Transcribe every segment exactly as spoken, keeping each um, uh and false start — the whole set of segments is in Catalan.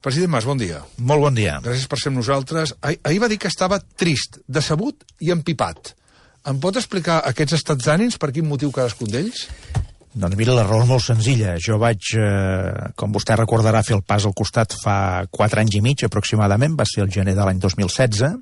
President Mas, bon dia. Molt bon dia. Gràcies per ser amb nosaltres. Ah, ahir va dir que estava trist, decebut i empipat. Em pot explicar aquests estats d'ànims, per quin motiu cadascun d'ells? Doncs mira, la raó és molt senzilla. Jo vaig, eh, com vostè recordarà, fer el pas al costat fa quatre anys i mig aproximadament, va ser el gener de l'any dos mil setze.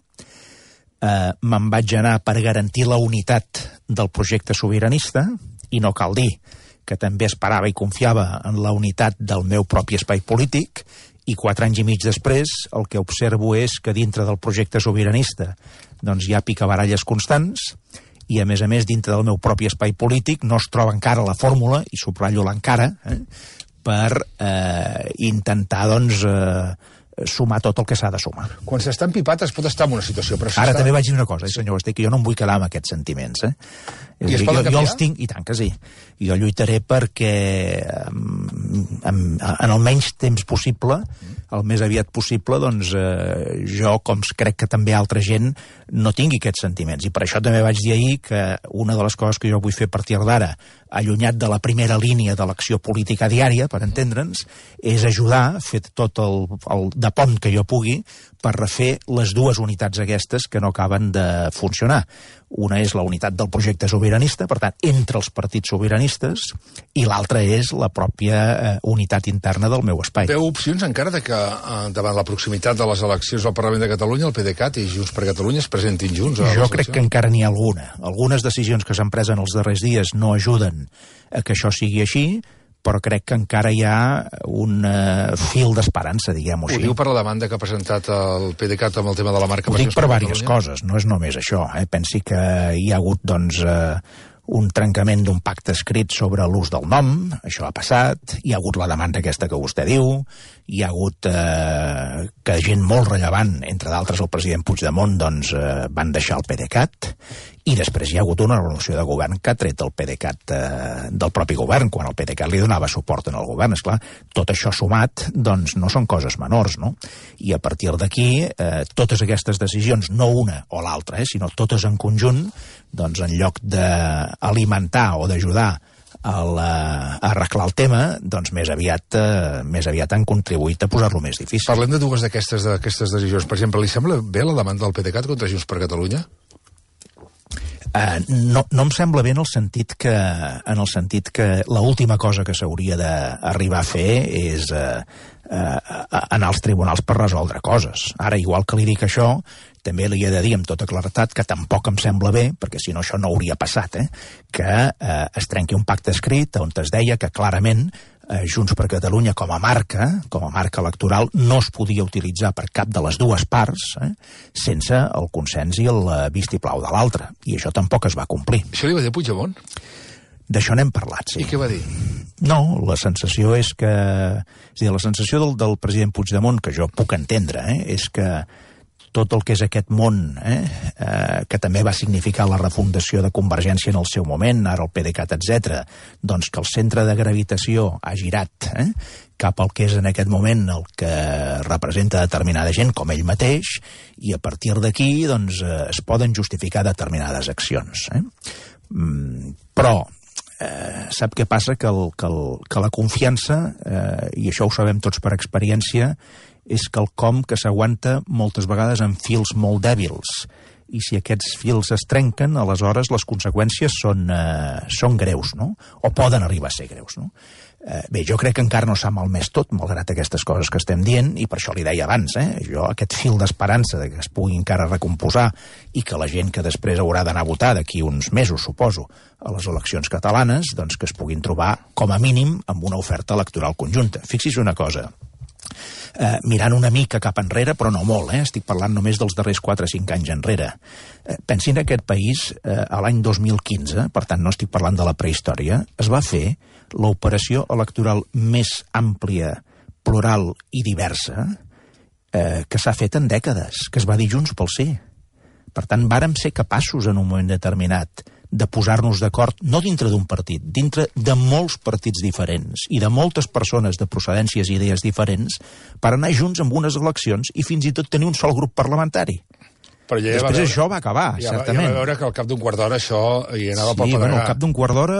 Eh, me'n vaig anar per garantir la unitat del projecte sobiranista, i no cal dir que també esperava i confiava en la unitat del meu propi espai polític, i quatre anys i mig després el que observo és que dintre del projecte sobiranista doncs hi ha picabaralles constants, i a més a més dintre del meu propi espai polític no es troba encara la fórmula, i subratllo l'encara, eh, per eh, intentar doncs eh, sumar tot el que s'ha de sumar. Quan s'està empipat es pot estar en una situació, però Ara està... també vaig dir una cosa, eh, senyor Basté, que jo no em vull quedar amb aquests sentiments, eh? I es jo, poden jo canviar? els tinc, i tant que sí. Jo lluitaré perquè en, en, en el menys temps possible, el més aviat possible, doncs eh, jo, com crec que també altra gent, no tingui aquests sentiments. I per això també vaig dir ahir que una de les coses que jo vull fer a partir d'ara, allunyat de la primera línia de l'acció política diària, per entendre'ns, és ajudar, fer tot el, el de pont que jo pugui, per refer les dues unitats aquestes que no acaben de funcionar. Una és la unitat del projecte sobiranista, per tant, entre els partits sobiranistes, i l'altra és la pròpia eh, unitat interna del meu espai. Veu opcions encara de que eh, davant la proximitat de les eleccions al Parlament de Catalunya el PDeCAT i Junts per Catalunya es presentin junts? Jo crec que encara n'hi ha alguna. Algunes decisions que s'han pres en els darrers dies no ajuden a que això sigui així, però crec que encara hi ha un uh, fil d'esperança, diguem-ho Ho així. diu per la demanda que ha presentat el PDeCAT amb el tema de la marca... Ho dic per diverses coses, no és només això. Eh? Pensi que hi ha hagut, doncs, eh, un trencament d'un pacte escrit sobre l'ús del nom, això ha passat, hi ha hagut la demanda aquesta que vostè diu, hi ha hagut eh, que gent molt rellevant, entre d'altres el president Puigdemont, doncs, eh, van deixar el PDeCAT, i després hi ha hagut una resolució de govern que ha tret el PDeCAT eh, del propi govern, quan el PDeCAT li donava suport en el govern. Esclar, tot això sumat, doncs, no són coses menors, no? I a partir d'aquí, eh, totes aquestes decisions, no una o l'altra, eh, sinó totes en conjunt, doncs, en lloc d'alimentar o d'ajudar a, la, a arreglar el tema, doncs més aviat, eh, més aviat han contribuït a posar-lo més difícil. Parlem de dues d'aquestes d'aquestes decisions. Per exemple, li sembla bé la demanda del PDeCAT contra Junts per Catalunya? Uh, no, no em sembla bé en el sentit que, en el sentit que l'última cosa que s'hauria d'arribar a fer és uh, uh, anar als tribunals per resoldre coses. Ara, igual que li dic això, també li he de dir amb tota claretat que tampoc em sembla bé, perquè si no això no hauria passat, eh, que uh, es trenqui un pacte escrit on es deia que clarament eh, Junts per Catalunya com a marca, com a marca electoral, no es podia utilitzar per cap de les dues parts eh, sense el consens i el vistiplau de l'altre. I això tampoc es va complir. Això li va dir Puigdemont? D'això n'hem parlat, sí. I què va dir? No, la sensació és que... És a dir, la sensació del, del president Puigdemont, que jo puc entendre, eh, és que tot el que és aquest món, eh, eh, que també va significar la refundació de Convergència en el seu moment, ara el PDeCAT, etcètera, doncs que el centre de gravitació ha girat eh, cap al que és en aquest moment el que representa determinada gent, com ell mateix, i a partir d'aquí doncs, eh, es poden justificar determinades accions. Eh? Mm, però eh, sap què passa? Que, el, que, el, que la confiança, eh, i això ho sabem tots per experiència, és quelcom que s'aguanta moltes vegades en fils molt dèbils. I si aquests fils es trenquen, aleshores les conseqüències són, eh, són greus, no? O poden arribar a ser greus, no? Eh, bé, jo crec que encara no s'ha malmès tot, malgrat aquestes coses que estem dient, i per això li deia abans, eh? Jo aquest fil d'esperança de que es pugui encara recomposar i que la gent que després haurà d'anar a votar d'aquí uns mesos, suposo, a les eleccions catalanes, doncs que es puguin trobar, com a mínim, amb una oferta electoral conjunta. Fixi's una cosa, Eh, mirant una mica cap enrere, però no molt, eh? Estic parlant només dels darrers quatre o cinc anys enrere. Eh, pensin en aquest país, eh, a l'any dos mil quinze, per tant no estic parlant de la prehistòria, es va fer l'operació electoral més àmplia, plural i diversa eh, que s'ha fet en dècades, que es va dir Junts pel Sí. Per tant, vàrem ser capaços en un moment determinat de posar-nos d'acord, no dintre d'un partit, dintre de molts partits diferents i de moltes persones de procedències i idees diferents per anar junts amb unes eleccions i fins i tot tenir un sol grup parlamentari. Però ja Després veure, això va acabar, ja certament. Ja va veure que al cap d'un quart d'hora això hi anava sí, pel pedregar. Bueno, al cap d'un quart d'hora...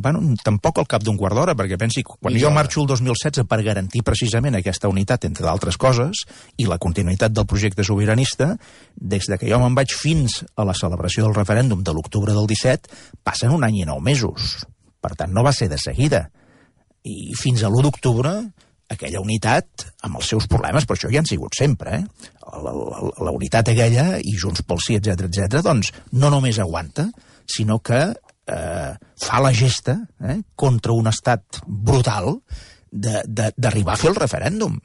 Bueno, tampoc al cap d'un quart d'hora, perquè pensi, quan jo marxo el dos mil setze per garantir precisament aquesta unitat, entre d'altres coses, i la continuïtat del projecte sobiranista, des de que jo me'n vaig fins a la celebració del referèndum de l'octubre del disset, passen un any i nou mesos. Per tant, no va ser de seguida. I fins a l'u d'octubre, aquella unitat, amb els seus problemes, però això ja han sigut sempre, eh? La, la, la unitat aquella, i Junts pel Sí, etcètera, etcètera, doncs no només aguanta, sinó que eh, fa la gesta eh, contra un estat brutal d'arribar a fer el referèndum.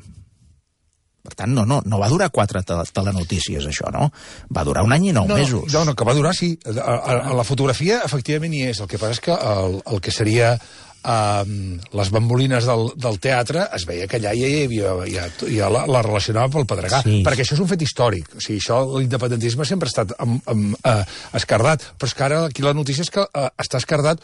Per tant, no, no, no va durar quatre telenotícies, això, no? Va durar un any i nou no, mesos. No, no, que va durar, sí. A, a, a la fotografia, efectivament, hi és. El que passa és que el, el que seria... Uh, les bambolines del, del teatre, es veia que allà ja, ja, ja, ja la, la relacionava pel pedregar, sí. Perquè això és un fet històric. O sigui, això, l'independentisme sempre ha estat um, um, uh, escardat, però és que ara aquí la notícia és que uh, està escardat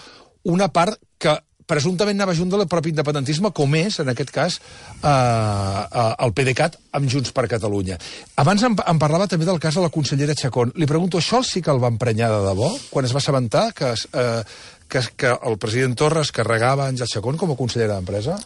una part que presumptament anava junt del propi independentisme, com és, en aquest cas, uh, uh, el PDeCAT amb Junts per Catalunya. Abans em, em parlava també del cas de la consellera Chacón. Li pregunto, això sí que el va emprenyar de debò, quan es va assabentar que... Uh, Que, que el president Torra es carregava Àngel Chacón com a consellera d'Empresa?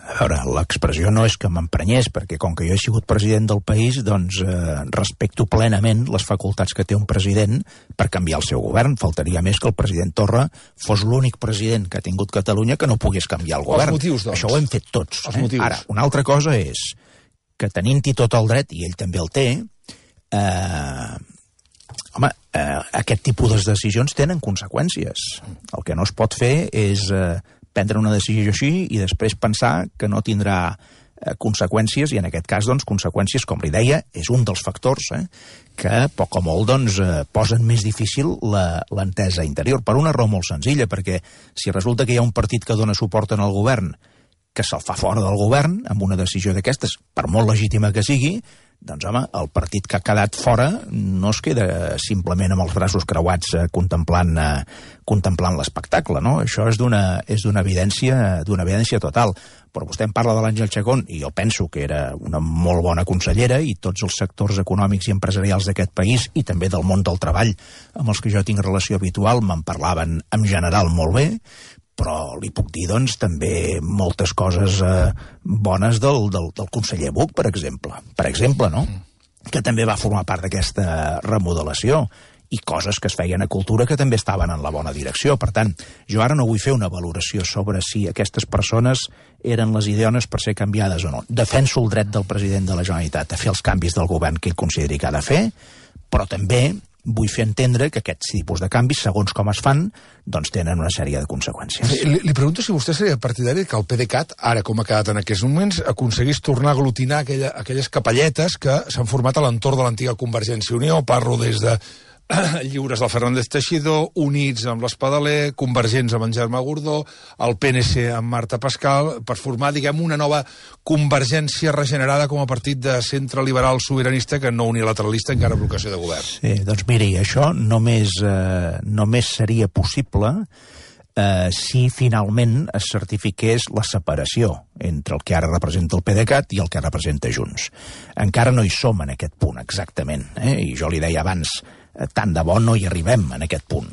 A veure, l'expressió no és que m'emprenyés, perquè com que jo he sigut president del país, doncs eh, respecto plenament les facultats que té un president per canviar el seu govern. Faltaria més que el president Torra fos l'únic president que ha tingut Catalunya que no pogués canviar el govern. Els motius, doncs. Això ho hem fet tots. Els eh? motius. Ara, una altra cosa és que tenint-hi tot el dret, i ell també el té, eh, home, eh, aquest tipus de decisions tenen conseqüències. El que no es pot fer és eh, prendre una decisió així i després pensar que no tindrà eh, conseqüències, i en aquest cas, doncs, conseqüències, com li deia, és un dels factors eh, que, poc o molt, doncs, eh, posen més difícil l'entesa interior, per una raó molt senzilla, perquè si resulta que hi ha un partit que dona suport en el govern que se'l fa fora del govern, amb una decisió d'aquestes, per molt legítima que sigui, doncs, home, el partit que ha quedat fora no es queda simplement amb els braços creuats eh, contemplant, eh, contemplant l'espectacle, no? Això és d'una és d'una evidència, d'una evidència total. Però vostè em parla de l'Àngel Chacón, i jo penso que era una molt bona consellera, i tots els sectors econòmics i empresarials d'aquest país, i també del món del treball, amb els que jo tinc relació habitual, me'n parlaven en general molt bé, però li puc dir, doncs, també moltes coses eh, bones del, del, del conseller Buch, per exemple. Per exemple, no? Que també va formar part d'aquesta remodelació, i coses que es feien a cultura que també estaven en la bona direcció. Per tant, jo ara no vull fer una valoració sobre si aquestes persones eren les ideones per ser canviades o no. Defenso el dret del president de la Generalitat a fer els canvis del govern que ell consideri que ha de fer, però també vull fer entendre que aquests tipus de canvis, segons com es fan, doncs tenen una sèrie de conseqüències. Li, li pregunto si vostè seria partidari que el PDeCAT, ara com ha quedat en aquests moments, aconseguís tornar a aglutinar aquella, aquelles capelletes que s'han format a l'entorn de l'antiga Convergència i Unió. Parlo des de lliures del Fernández Teixidor, Units amb l'Espadaler, Convergents amb en Germà Gordó, el P N C amb Marta Pascal, per formar, diguem, una nova Convergència regenerada com a partit de centre liberal sobiranista que no unilateralista encara en vocació de govern. Sí, doncs miri, això només, eh, només seria possible eh, si finalment es certifiqués la separació entre el que ara representa el PDeCAT i el que representa Junts. Encara no hi som en aquest punt exactament, eh? I jo li deia abans, tant de bo no hi arribem en aquest punt.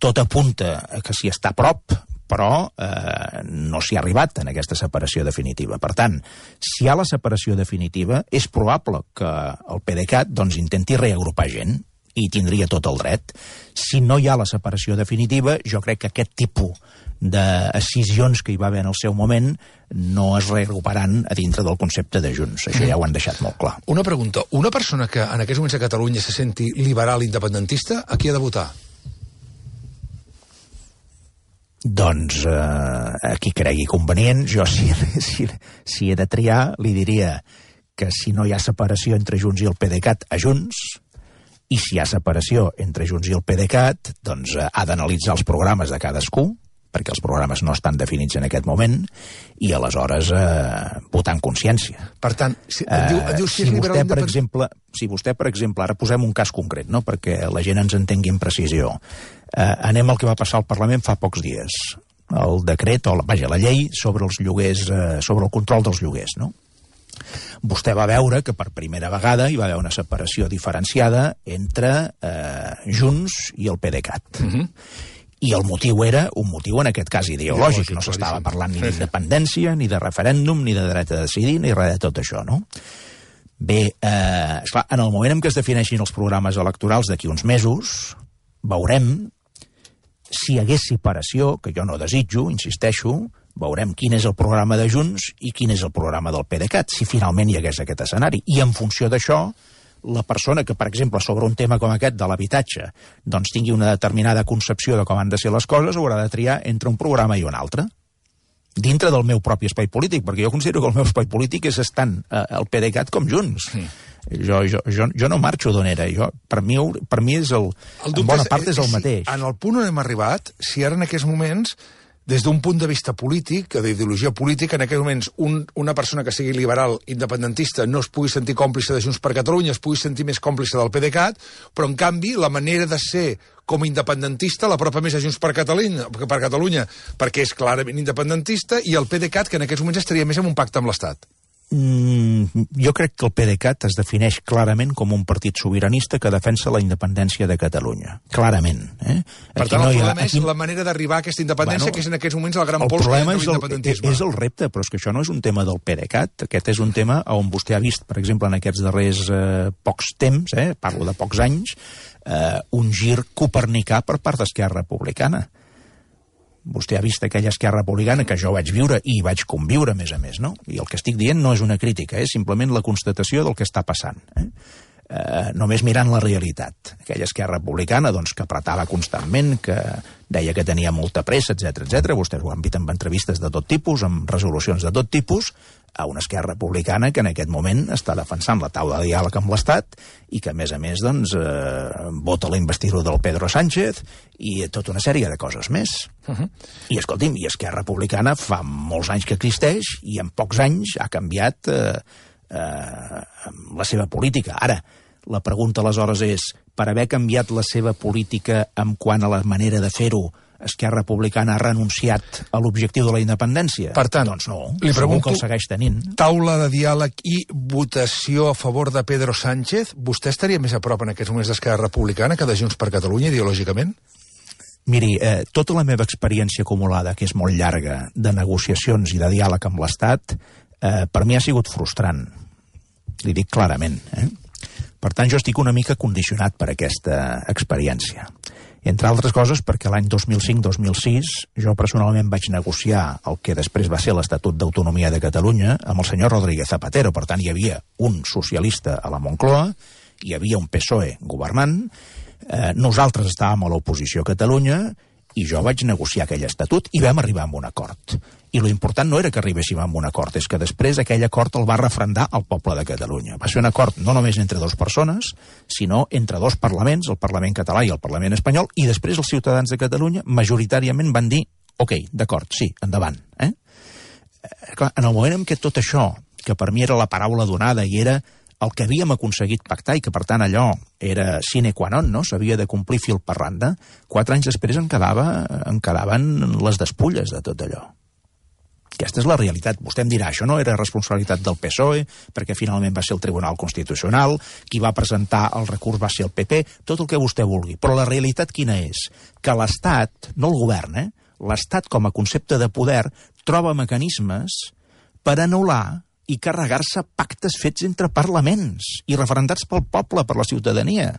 Tot apunta que s'hi està a prop, però eh, no s'hi ha arribat en aquesta separació definitiva. Per tant, si hi ha la separació definitiva, és probable que el PDeCAT doncs, intenti reagrupar gent, i tindria tot el dret. Si no hi ha la separació definitiva, jo crec que aquest tipus d'escissions que hi va haver en el seu moment no es reagruparan a dintre del concepte de Junts. Això ja ho han deixat molt clar. Una pregunta. Una persona que en aquests moments a Catalunya se senti liberal independentista, a qui ha de votar? Doncs eh, a qui cregui convenient. Jo, si, si, si he de triar, li diria que si no hi ha separació entre Junts i el PDeCAT, a Junts, i si hi ha separació entre Junts i el PDeCAT, doncs eh, ha d'analitzar els programes de cadascú, perquè els programes no estan definits en aquest moment, i aleshores eh, votar en consciència. Per tant, si, eh, diu, diu si, si, vostè, per exemple, si vostè, per exemple, ara posem un cas concret, no?, perquè la gent ens entengui amb precisió. Eh, anem al que va passar al Parlament fa pocs dies. El decret, o la, vaja, la llei sobre els lloguers, eh, sobre el control dels lloguers, no? vostè va veure que per primera vegada hi va haver una separació diferenciada entre eh, Junts i el PDeCAT. Uh-huh. I el motiu era un motiu, en aquest cas, ideològic. No s'estava parlant ni d'independència, ni de referèndum, ni de dret a decidir, ni res de tot això, no? Bé, eh, esclar, en el moment en què es defineixin els programes electorals d'aquí uns mesos, veurem si hi hagués separació, que jo no desitjo, insisteixo, veurem quin és el programa de Junts i quin és el programa del PDeCAT, si finalment hi hagués aquest escenari. I en funció d'això, la persona que, per exemple, sobre un tema com aquest de l'habitatge, doncs tingui una determinada concepció de com han de ser les coses, haurà de triar entre un programa i un altre, dintre del meu propi espai polític, perquè jo considero que el meu espai polític és estant eh, el PDeCAT com Junts. Sí. Jo, jo, jo, jo no marxo d'on era. Jo, per, mi, per mi és el, el en bona part és el mateix. En el punt on hem arribat, si ara en aquests moments, des d'un punt de vista polític, d'ideologia política, en aquests moments un, una persona que sigui liberal, independentista, no es pugui sentir còmplice de Junts per Catalunya, es pugui sentir més còmplice del PDeCAT, però en canvi la manera de ser com a independentista l'apropa més a Junts per Catalunya, per Catalunya, perquè és clarament independentista, i el PDeCAT, que en aquests moments estaria més en un pacte amb l'Estat. Mm, jo crec que el PDeCAT es defineix clarament com un partit sobiranista que defensa la independència de Catalunya. Clarament. Eh? Per tant, no el problema ha... és aquí... la manera d'arribar a aquesta independència, bueno, que és en aquests moments el gran pols de l'independentisme. És el repte, però és que això no és un tema del PDeCAT. Aquest és un tema on vostè ha vist, per exemple, en aquests darrers eh, pocs temps, eh, parlo de pocs anys, eh, un gir copernicà per part d'Esquerra Republicana. Vostè ha vist aquella Esquerra Republicana que jo vaig viure i vaig conviure, a més a més, no? I el que estic dient no és una crítica, és simplement la constatació del que està passant. Eh? Eh, només mirant la realitat. Aquella Esquerra Republicana, doncs, que apretava constantment, que deia que tenia molta pressa, etcètera, etcètera. Vostès ho han vist amb entrevistes de tot tipus, amb resolucions de tot tipus, a una Esquerra Republicana que en aquest moment està defensant la taula de diàleg amb l'Estat i que, a més a més, doncs, eh, vota la investidura del Pedro Sánchez i tota una sèrie de coses més. Uh-huh. I, escolti'm, i Esquerra Republicana fa molts anys que existeix i en pocs anys ha canviat eh, eh, la seva política. Ara, la pregunta aleshores és, per haver canviat la seva política en quant a la manera de fer-ho, Esquerra Republicana ha renunciat a l'objectiu de la independència? Per tant, doncs no, li pregunto, que el segueix tenint. Taula de diàleg i votació a favor de Pedro Sánchez, vostè estaria més a prop en aquests moments d'Esquerra Republicana que de Junts per Catalunya, ideològicament? Miri, eh, tota la meva experiència acumulada, que és molt llarga, de negociacions i de diàleg amb l'Estat, eh, per mi ha sigut frustrant. Li dic clarament. Eh? Per tant, jo estic una mica condicionat per aquesta experiència. Entre altres coses perquè l'any dos mil cinc dos mil sis jo personalment vaig negociar el que després va ser l'Estatut d'Autonomia de Catalunya amb el senyor Rodríguez Zapatero. Per tant, hi havia un socialista a la Moncloa, hi havia un P S O E governant, eh, nosaltres estàvem a l'oposició a Catalunya i jo vaig negociar aquell estatut i vam arribar a un acord. I lo important no era que arribéssim a un acord, és que després aquell acord el va referendar el poble de Catalunya. Va ser un acord no només entre dues persones, sinó entre dos parlaments, el Parlament català i el Parlament espanyol, i després els ciutadans de Catalunya majoritàriament van dir, ok, d'acord, sí, endavant. Eh? Clar, en el moment en què tot això, que per mi era la paraula donada i era el que havíem aconseguit pactar i que, per tant, allò era sine qua non, no? S'havia de complir fil per randa, quatre anys després en, quedava, en quedaven les despulles de tot allò. Aquesta és la realitat. Vostè em dirà, això no era responsabilitat del P S O E, perquè finalment va ser el Tribunal Constitucional, qui va presentar el recurs va ser el P P, tot el que vostè vulgui. Però la realitat quina és? Que l'Estat, no el govern, eh? l'Estat com a concepte de poder troba mecanismes per anul·lar i carregar-se pactes fets entre parlaments i referendats pel poble, per la ciutadania.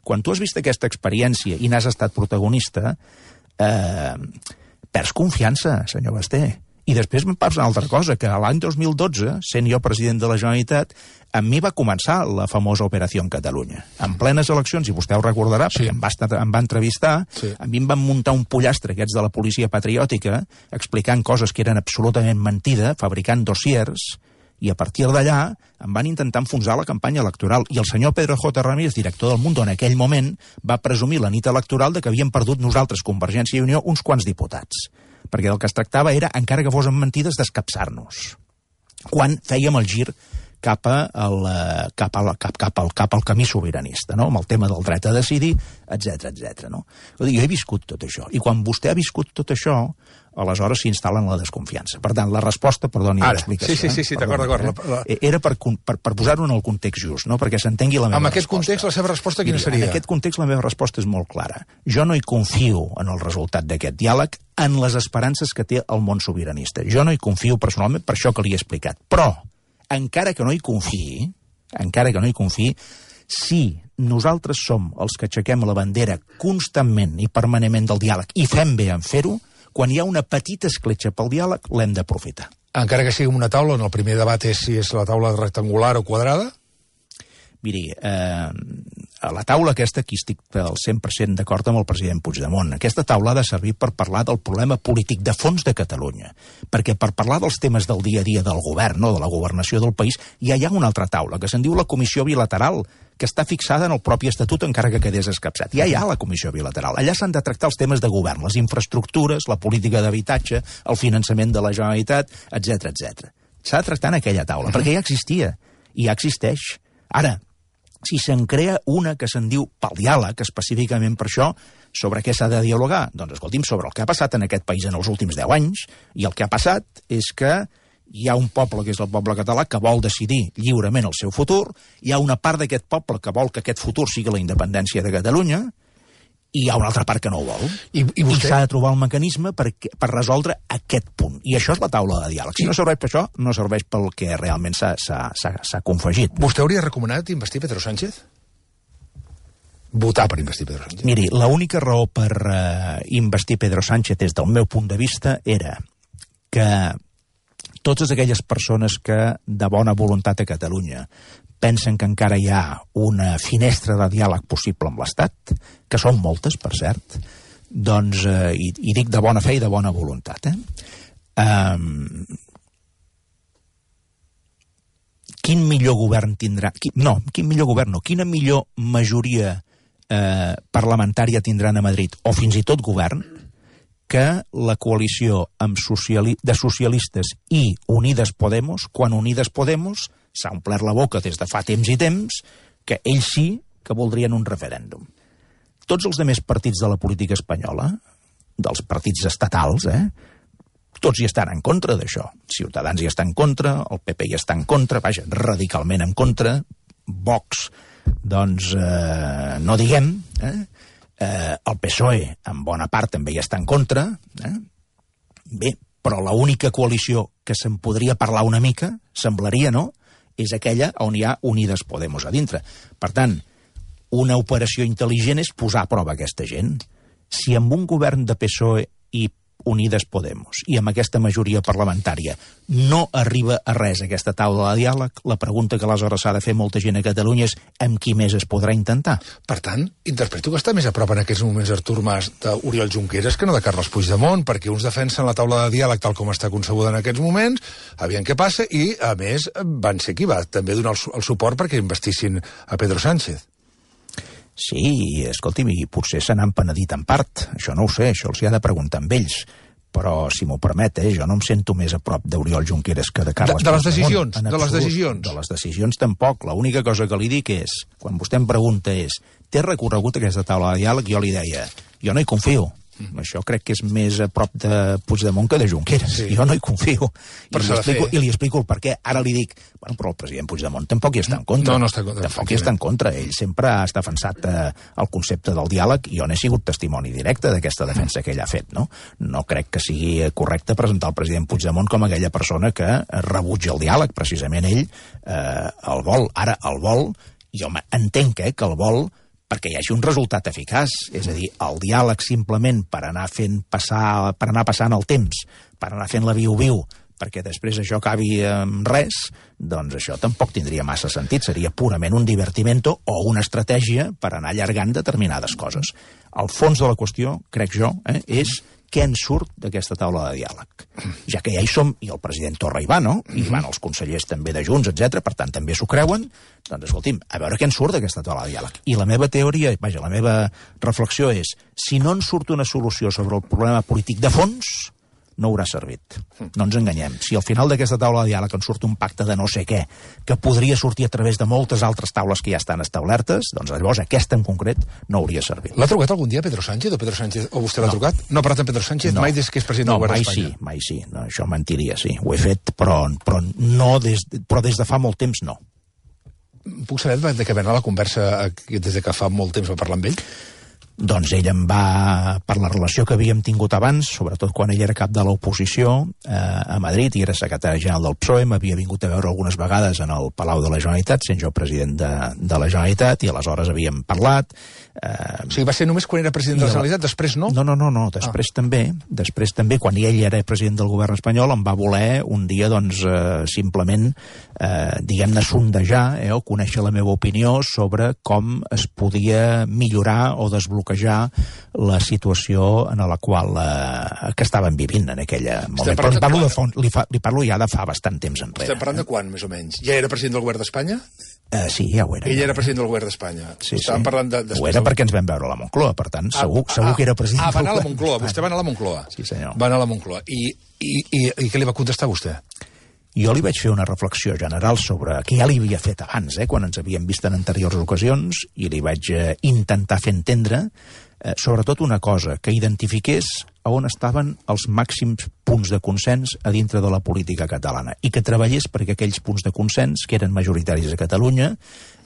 Quan tu has vist aquesta experiència i n'has estat protagonista, eh, perds confiança, senyor Basté. I després em passa una altra cosa, que l'any dos mil dotze, sent jo president de la Generalitat, amb mi va començar la famosa Operació en Catalunya. En plenes eleccions, i vostè ho recordarà, sí. perquè em va, estar, em va entrevistar, sí. a mi em van muntar un pollastre, aquests de la policia patriòtica, explicant coses que eren absolutament mentida, fabricant dossiers, i a partir d'allà em van intentar enfonsar la campanya electoral. I el senyor Pedro J. Ramírez, director del Mundo, en aquell moment, va presumir la nit electoral de que havíem perdut nosaltres, Convergència i Unió, uns quants diputats. Perquè del que es tractava era, encara que fos amb mentides, d'escapçar-nos. Quan fèiem el gir cap, a el, cap, a, cap, cap, al, cap al camí sobiranista, no? Amb el tema del dret a decidir, etcètera, etcètera. No? Jo he viscut tot això, i quan vostè ha viscut tot això, aleshores s'instal·la en la desconfiança. Per tant, la resposta, perdoni l'explicació... Sí, sí, sí, d'acord, d'acord. Eh? Era per, per, per posar-ho en el context just, no? Perquè s'entengui la meva resposta. En aquest context, la seva resposta quina seria? En aquest context, la meva resposta és molt clara. Jo no hi confio en el resultat d'aquest diàleg, en les esperances que té el món sobiranista. Jo no hi confio personalment per això que li he explicat. Però, encara que no hi confiï, encara que no hi confiï, si nosaltres som els que aixequem la bandera constantment i permanentment del diàleg i fem bé en fer-ho, quan hi ha una petita escletxa pel diàleg, l'hem d'aprofitar. Encara que sigui una taula, on el primer debat és si és la taula rectangular o quadrada? Miri, eh, a la taula aquesta aquí estic al cent per cent d'acord amb el president Puigdemont. Aquesta taula ha de servir per parlar del problema polític de fons de Catalunya, perquè per parlar dels temes del dia a dia del govern, no, de la governació del país, ja hi ha una altra taula, que se'n diu la Comissió Bilateral, que està fixada en el propi Estatut, encara que quedés escapçat. Ja hi ha la Comissió Bilateral. Allà s'han de tractar els temes de govern, les infraestructures, la política d'habitatge, el finançament de la Generalitat, etcètera, etcètera. S'ha de tractar en aquella taula, perquè ja existia, i ja existeix. Ara, si se'n crea una que se'n diu pel diàleg, específicament per això, sobre què s'ha de dialogar? Doncs, escolti'm, sobre el que ha passat en aquest país en els últims deu anys, i el que ha passat és que hi ha un poble, que és el poble català, que vol decidir lliurement el seu futur, hi ha una part d'aquest poble que vol que aquest futur sigui la independència de Catalunya, i hi ha una altra part que no ho vol. I, i, vostè... I s'ha de trobar un mecanisme per, per resoldre aquest punt. I això és la taula de diàleg. Si no serveix per això, no serveix pel que realment s'ha confegit. Vostè hauria recomanat investir Pedro Sánchez? Votar per investir Pedro Sánchez? Miri, l'única raó per uh, investir Pedro Sánchez des del meu punt de vista era que totes aquelles persones que de bona voluntat a Catalunya pensen que encara hi ha una finestra de diàleg possible amb l'Estat, que són moltes, per cert, doncs, eh, i, i dic de bona fe i de bona voluntat, eh? Um, quin millor govern tindrà... Qui, no, quin millor govern no, quina millor majoria eh, parlamentària tindran a Madrid, o fins i tot govern, que la coalició amb sociali de socialistes i Unides Podemos, quan Unides Podemos s'ha omplert la boca des de fa temps i temps, que ells sí que voldrien un referèndum. Tots els altres partits de la política espanyola, dels partits estatals, eh, tots hi estan en contra d'això. Ciutadans hi està en contra, el P P hi està en contra, vaja, radicalment en contra, Vox, doncs, eh, no diguem, eh? Eh, el P S O E, en bona part, també hi està en contra. Eh? Bé, però l'única coalició que se'n podria parlar una mica, semblaria, no?, és aquella on hi ha Unides Podemos a dintre. Per tant, una operació intel·ligent és posar a prova aquesta gent. Si amb un govern de P S O E i Unides Podemos i amb aquesta majoria parlamentària no arriba a res aquesta taula de diàleg, la pregunta que aleshores s'ha de fer molta gent a Catalunya és amb qui més es podrà intentar. Per tant, interpreto que està més a prop en aquests moments Artur Mas d'Oriol Junqueras que no de Carles Puigdemont, perquè uns defensen la taula de diàleg tal com està concebuda en aquests moments, aviam què passa, i a més van ser qui va també donar el, el suport perquè investissin a Pedro Sánchez. Sí, escolti'm, i potser se n'han penedit en part. Això no ho sé, això els hi ha de preguntar amb ells. Però, si m'ho permet, eh, jo no em sento més a prop d'Oriol Junqueras que de Carles de, de les Puigdemont. decisions, de les decisions. De les decisions tampoc. L'única cosa que li dic és, quan vostè em pregunta és, té recorregut aquesta taula de diàleg? Jo li deia, jo no hi confio. Mm. Això crec que és més a prop de Puigdemont que de Junqueras. Sí. Jo no hi confio. I li, explico, I li explico el per què. Ara li dic, bueno, però el president Puigdemont tampoc hi està en contra. No, no està en contra. Tampoc hi està en contra. Ell sempre ha defensat eh, el concepte del diàleg i jo n'he sigut testimoni directe d'aquesta defensa que ell ha fet. No? no crec que sigui correcte presentar el president Puigdemont com aquella persona que rebutja el diàleg. Precisament ell eh, el vol. Ara el vol, jo entenc eh, que el vol perquè hi hagi un resultat eficaç, és a dir, el diàleg simplement per anar fent passar, per anar passant el temps, per anar fent la viu-viu, perquè després això acabi amb res, doncs això tampoc tindria massa sentit, seria purament un divertimento o una estratègia per anar allargant determinades coses. El fons de la qüestió, crec jo, eh, és què en surt d'aquesta taula de diàleg. Ja que ja hi som, i el president Torra hi va, no? I van els consellers també de Junts, etcètera, per tant també s'ho creuen, doncs escolti'm, a veure què en surt d'aquesta taula de diàleg. I la meva teoria, vaja, la meva reflexió és, si no en surt una solució sobre el problema polític de fons, no haurà servit. No ens enganyem. Si al final d'aquesta taula de diàleg en surt un pacte de no sé què, que podria sortir a través de moltes altres taules que ja estan establertes, doncs llavors aquesta en concret no hauria servit. L'ha trucat algun dia Pedro Sánchez o Pedro Sánchez o vostè l'ha no. trucat? No ha parlat amb Pedro Sánchez no. mai des que és president no, del govern d'Espanya? No, mai sí, mai sí. No, això mentiria, sí. Ho he fet, però, però, no des, però des de fa molt temps no. Puc saber de què venia la conversa des de que fa molt temps va parlar amb ell? Doncs ell em va, per la relació que havíem tingut abans, sobretot quan ell era cap de l'oposició eh, a Madrid i era secretari general del P S O E, m'havia vingut a veure algunes vegades en el Palau de la Generalitat, sent jo president de, de la Generalitat, i aleshores havíem parlat. Eh, o sigui, va ser només quan era president de la Generalitat, després no? No, no, no, no. després ah. també, després també, quan ell era president del govern espanyol, em va voler un dia, doncs, eh, simplement, eh, diguem-ne, sondejar, eh, o conèixer la meva opinió sobre com es podia millorar o desbloquejar la situació en la qual eh, que estaven vivint en aquella moment. Però parlo de fons, li, fa, li parlo ja de fa bastant temps enrere. Estem parlant de quan, més o menys? Ja era president del govern d'Espanya? Uh, sí, ja ho era. Ell era president del govern d'Espanya. Sí, Estàvem sí. parlant de... Ho era perquè ens vam veure a la Moncloa, per tant, segur, ah, segur que era president ah, va anar a la Moncloa, vostè va anar a la Moncloa. Sí, senyor. Va anar a la Moncloa. I, i, i, i què li va contestar vostè? Jo li vaig fer una reflexió general sobre que ja li havia fet abans, eh, quan ens havíem vist en anteriors ocasions, i li vaig eh, intentar fer entendre, eh, sobretot una cosa, que identifiqués a on estaven els màxims punts de consens a dintre de la política catalana i que treballés perquè aquells punts de consens, que eren majoritaris a Catalunya,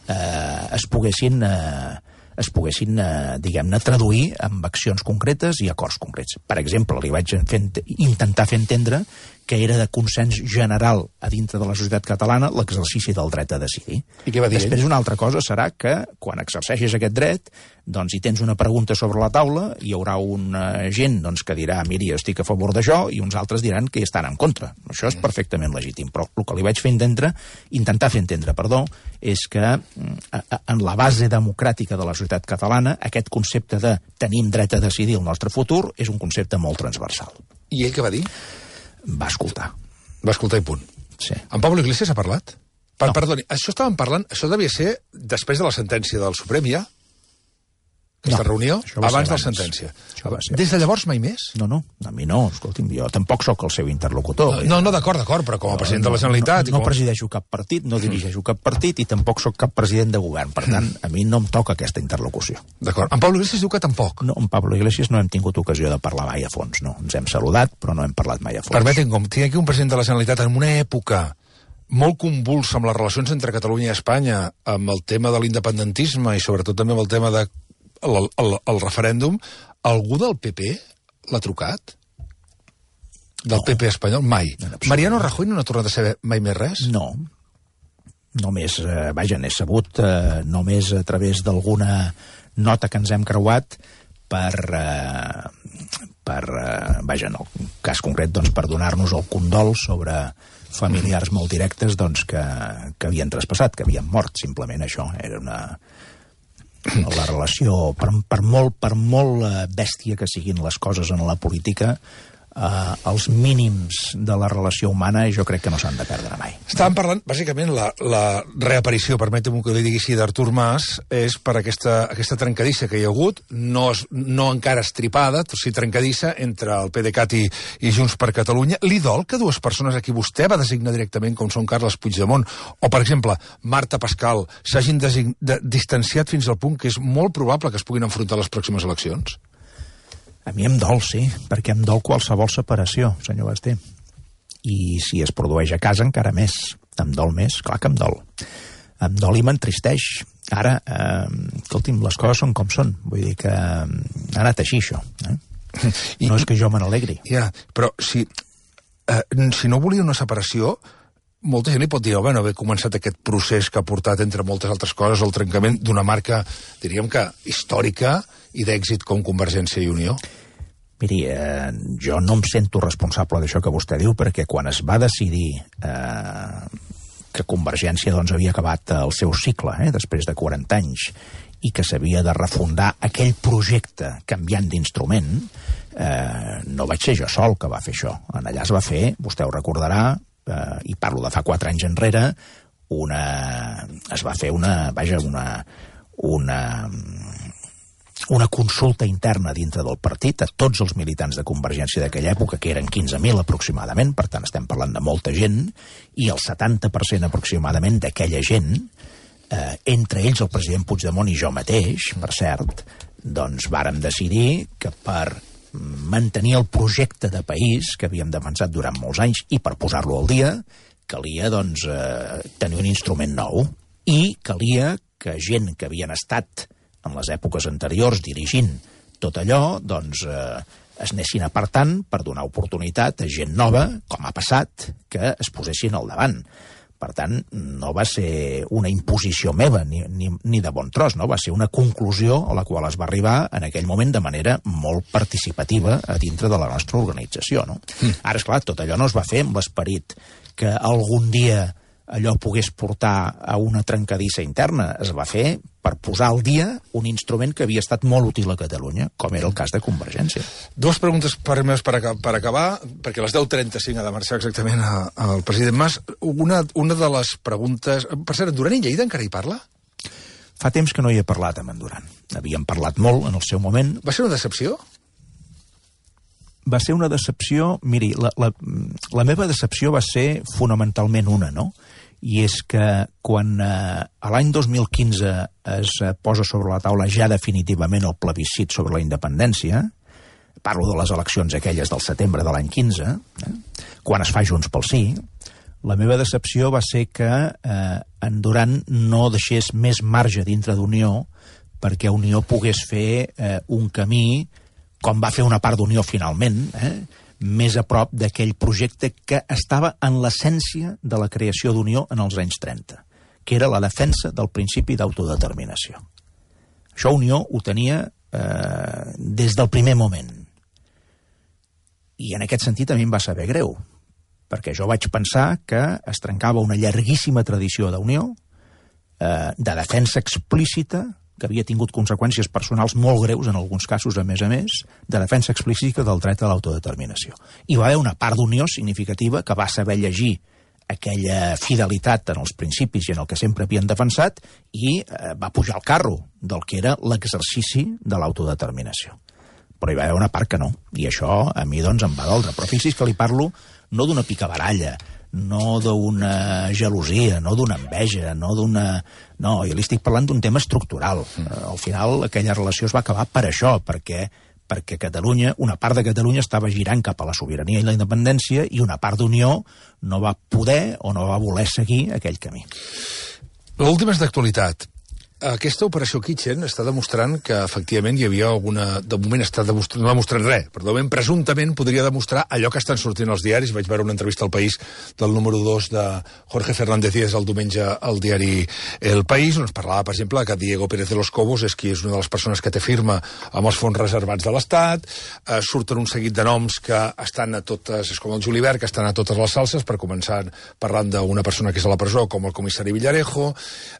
eh, es poguessin... Eh, es poguessin, eh, diguem-ne, traduir en accions concretes i acords concrets. Per exemple, li vaig fer, intentar fer entendre que era de consens general a dintre de la societat catalana l'exercici del dret a decidir. I què va dir Després ell? Una altra cosa serà que, quan exerceixis aquest dret, doncs hi tens una pregunta sobre la taula, hi haurà una gent doncs, que dirà, miri, estic a favor d'això, i uns altres diran que hi estan en contra. Això és perfectament legítim, però el que li vaig fer entendre, intentar fer entendre, perdó, és que en la base democràtica de la societat catalana aquest concepte de tenim dret a decidir el nostre futur és un concepte molt transversal. I ell què va dir? Va escoltar. Va escoltar i punt. Sí. En Pablo Iglesias ha parlat? Per, no. Perdoni, això estàvem parlant, això devia ser després de la sentència del Suprem, ja? Aquesta no, reunió? Abans de la abans. sentència. Ser... Des de llavors mai més? No, no, a mi no, escolti'm, jo tampoc sóc el seu interlocutor. No, no, d'acord, d'acord, però com a president no, de la Generalitat... No, no, no com... presideixo cap partit, no dirigeixo cap partit i tampoc sóc cap president de govern. Per tant, a mi no em toca aquesta interlocució. D'acord. En Pablo Iglesias diu que tampoc. No, en Pablo Iglesias no hem tingut ocasió de parlar mai a fons, no. Ens hem saludat, però no hem parlat mai a fons. Permetin, com tinc aquí un president de la Generalitat en una època molt convulsa amb les relacions entre Catalunya i Espanya, amb el tema de l'independentisme i sobretot també amb el tema de el, el, el referèndum, algú del P P l'ha trucat? Del no. P P espanyol? Mai. No, Mariano Rajoy no n'ha tornat a saber mai més res? No. Només, eh, vaja, n'he sabut eh, només a través d'alguna nota que ens hem creuat per, eh, per eh, vaja, en el cas concret, doncs, per donar-nos el condol sobre familiars molt directes doncs, que, que havien traspassat, que havien mort, simplement això. Era una... La relació, per, per, molt, per molt bèstia que siguin les coses en la política, Uh, els mínims de la relació humana jo crec que no s'han de perdre mai. Estàvem parlant, bàsicament, la, la reaparició, permetem que li digui així, d'Artur Mas, és per aquesta, aquesta trencadissa que hi ha hagut, no, es, no encara estripada, o sigui, trencadissa entre el PDeCAT i, i Junts per Catalunya. Li dol que dues persones a qui vostè va designar directament, com són Carles Puigdemont o, per exemple, Marta Pascal, s'hagin de, distanciat fins al punt que és molt probable que es puguin enfrontar a les pròximes eleccions? A mi em dol, sí, perquè em dol qualsevol separació, senyor Basté. I si es produeix a casa, encara més. Em dol més, clar que em dol. Em dol i m'entristeix. Ara, eh, escolti'm, les coses són com són. Vull dir que ha anat així, això. Eh? I, no és que jo me n'alegri. Ja, però si, eh, si no volia una separació, molta gent li pot dir, oh, bueno, haver començat aquest procés que ha portat, entre moltes altres coses, el trencament d'una marca, diríem que històrica i d'èxit com Convergència i Unió. Miri, eh, jo no em sento responsable d'això que vostè diu, perquè quan es va decidir eh, que Convergència doncs, havia acabat el seu cicle, eh, després de quaranta anys, i que s'havia de refundar aquell projecte canviant d'instrument, eh, no vaig ser jo sol que va fer això. En allà es va fer, vostè ho recordarà, eh, i parlo de fa quatre anys enrere, una, es va fer una, vaja, una, una, una consulta interna dintre del partit a tots els militants de Convergència d'aquella època, que eren quinze mil aproximadament, per tant estem parlant de molta gent, i el setanta per cent aproximadament d'aquella gent, eh, entre ells el president Puigdemont i jo mateix, per cert, doncs vàrem decidir que per mantenir el projecte de país que havíem defensat durant molts anys i per posar-lo al dia, calia doncs, eh, tenir un instrument nou i calia que gent que havien estat en les èpoques anteriors dirigint tot allò, doncs eh, es anessin apartant per donar oportunitat a gent nova, com ha passat, que es posessin al davant. Per tant, no va ser una imposició meva, ni, ni, ni de bon tros, no? Va ser una conclusió a la qual es va arribar en aquell moment de manera molt participativa a dintre de la nostra organització, no? Mm. Ara, esclar, tot allò no es va fer amb l'esperit que algun dia allò pogués portar a una trencadissa interna. Es va fer per posar al dia un instrument que havia estat molt útil a Catalunya, com era el cas de Convergència. Dues preguntes per, per, per acabar, perquè a les deu trenta-cinc ha de marxar exactament al president Mas. Una, una de les preguntes... Per cert, en Duran i Lleida encara hi parla? Fa temps que no hi he parlat amb en Duran. Havíem parlat molt en el seu moment. Va ser una decepció? Va ser una decepció... Miri, la, la, la meva decepció va ser fonamentalment una, no? I és que quan eh, a l'any dos mil quinze es eh, posa sobre la taula ja definitivament el plebiscit sobre la independència, parlo de les eleccions aquelles del setembre de l'any quinze, eh, quan es fa Junts pel Sí, la meva decepció va ser que eh, en Duran no deixés més marge dintre d'Unió perquè Unió pogués fer eh, un camí, com va fer una part d'Unió finalment, eh, més a prop d'aquell projecte que estava en l'essència de la creació d'Unió en els anys trenta, que era la defensa del principi d'autodeterminació. Això Unió ho tenia eh, des del primer moment. I en aquest sentit a mi em va saber greu, perquè jo vaig pensar que es trencava una llarguíssima tradició d'Unió, eh, de defensa explícita, que havia tingut conseqüències personals molt greus, en alguns casos, a més a més, de defensa explícita del dret a l'autodeterminació. I va haver una part d'Unió significativa que va saber llegir aquella fidelitat en els principis i en el que sempre havien defensat i eh, va pujar al carro del que era l'exercici de l'autodeterminació. Però hi va haver una part que no, i això a mi doncs em va doldre. Però fixi's que li parlo no d'una picabaralla, no d'una gelosia, no d'una enveja, no d'una... No, jo li estic parlant d'un tema estructural. Mm. Al final, aquella relació es va acabar per això, perquè, perquè Catalunya, una part de Catalunya estava girant cap a la sobirania i la independència i una part d'Unió no va poder o no va voler seguir aquell camí. L'última és d'actualitat. Aquesta operació Kitchen està demostrant que efectivament hi havia alguna... De moment està demostrant, no demostrant res, però de moment presumptament podria demostrar allò que estan sortint als diaris. Vaig veure una entrevista al País del número dos de Jorge Fernández Díaz el diumenge al diari El País, on es parlava, per exemple, que Diego Pérez de los Cobos és qui és una de les persones que té firma amb els fons reservats de l'Estat. Eh, surten un seguit de noms que estan a totes, és com el Julibert, que estan a totes les salses, per començar parlant d'una persona que és a la presó, com el comissari Villarejo,